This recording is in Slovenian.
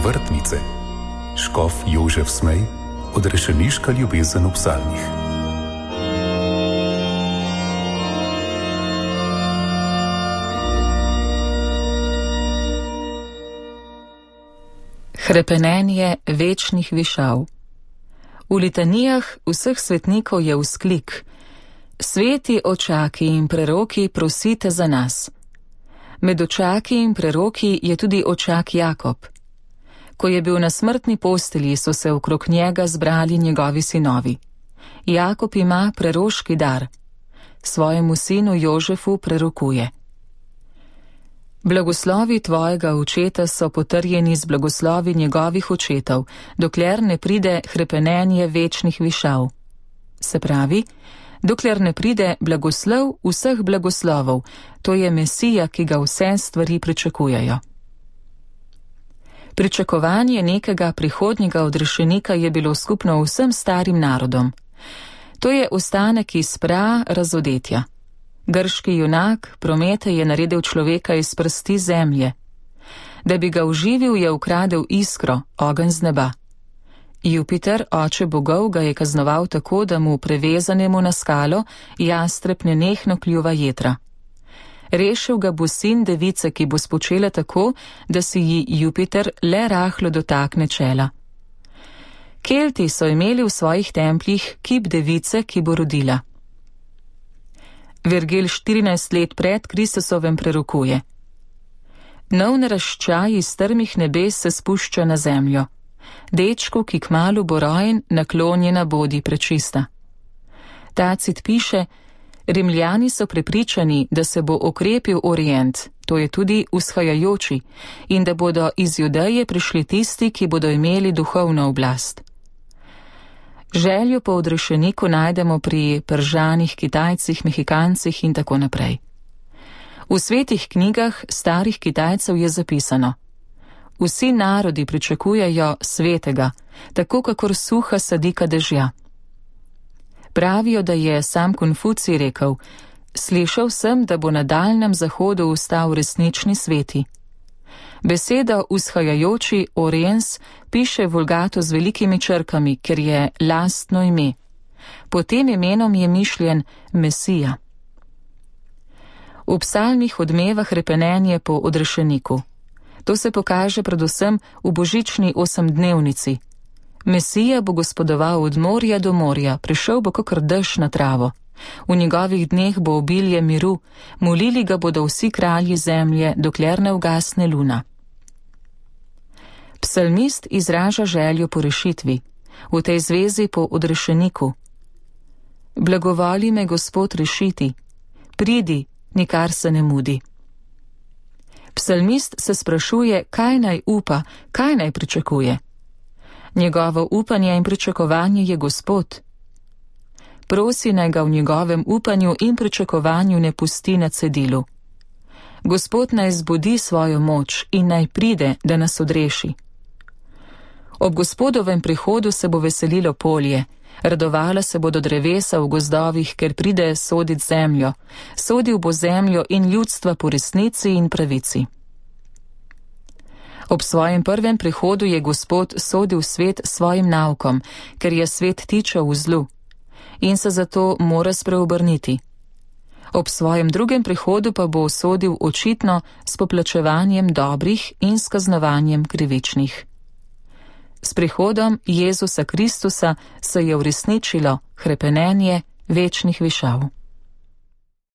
vrtnice. Škof Jožef Smej, odrešeniška ljubezen v psalmih. Hrepenenje večnih višav. V litanijah vseh svetnikov je vzklik: Sveti očaki in preroki, prosite za nas. Med očaki in preroki je tudi očak Jakob. Ko je bil na smrtni postelji, so se okrog njega zbrali njegovi sinovi. Jakob ima preroški dar. Svojemu sinu Jožefu prerokuje: Blagoslovi tvojega očeta so potrjeni z blagoslovi njegovih očetov, dokler ne pride hrepenenje večnih višav. Se pravi, dokler ne pride blagoslov vseh blagoslovov, to je Mesija, ki ga vse stvari pričakujejo. Pričakovanje nekega prihodnjega odrešenika je bilo skupno vsem starim narodom. To je ostanek iz razodetja. Grški junak Prometej je naredil človeka iz prsti zemlje. Da bi ga oživil, je ukradel iskro, ogenj z neba. Jupiter, oče bogov, ga je kaznoval tako, da mu prevezanemu na skalo jastreb nenehno kljuva jetra. Rešil ga bo sin device, ki bo spočela tako, da si ji Jupiter le rahlo dotakne čela. Kelti so imeli v svojih templjih kip device, ki bo rodila. Virgil 14 let pred Kristusovem prerokuje: Nov naraščaj iz strmih nebes se spušča na zemljo. Dečku, ki kmalu bo rojen, naklonjena bodi prečista. Tacit piše: Rimljani so prepričani, da se bo okrepil Orient, to je tudi vzhajajoči, in da bodo iz Judeje prišli tisti, ki bodo imeli duhovno oblast. Željo po odrešeniku najdemo pri Peržanih, Kitajcih, Mehikancih in tako naprej. V svetih knjigah starih Kitajcev je zapisano: Vsi narodi pričakujejo svetega, tako kakor suha sadika dežja. Pravijo, da je sam Konfucij rekel: Slišal sem, da bo na daljnem zahodu vstal resnični sveti. Beseda vzhajajoči Oriens piše Vulgato z velikimi črkami, ker je lastno ime. Po tem imenom je mišljen Mesija. V psalmih odmeva hrepenenje po odrešeniku. To se pokaže predvsem v božični osemdnevnici. Mesija bo gospodoval od morja do morja, prišel bo kakor dež na travo. V njegovih dneh bo obilje miru, molili ga bodo vsi kralji zemlje, dokler ne ugasne luna. Psalmist izraža željo po rešitvi, v tej zvezi po odrešeniku. Blagovoli me, Gospod, rešiti, pridi, nikar se ne mudi. Psalmist se sprašuje, kaj naj upa, kaj naj pričakuje. Njegovo upanje in pričakovanje je Gospod. Prosi naj ga v njegovem upanju in pričakovanju ne pusti na cedilu. Gospod naj zbudi svojo moč in naj pride, da nas odreši. Ob Gospodovem prihodu se bo veselilo polje, radovala se bodo drevesa v gozdovih, ker pride sodit zemljo, sodil bo zemljo in ljudstva po resnici in pravici. Ob svojem prvem prihodu je Gospod sodil svet svojim naukom, ker je svet tičal v zlu, in se zato mora spreobrniti. Ob svojem drugem prihodu pa bo sodil očitno s poplačevanjem dobrih in s kaznovanjem krivičnih. S prihodom Jezusa Kristusa se je uresničilo hrepenenje večnih višav.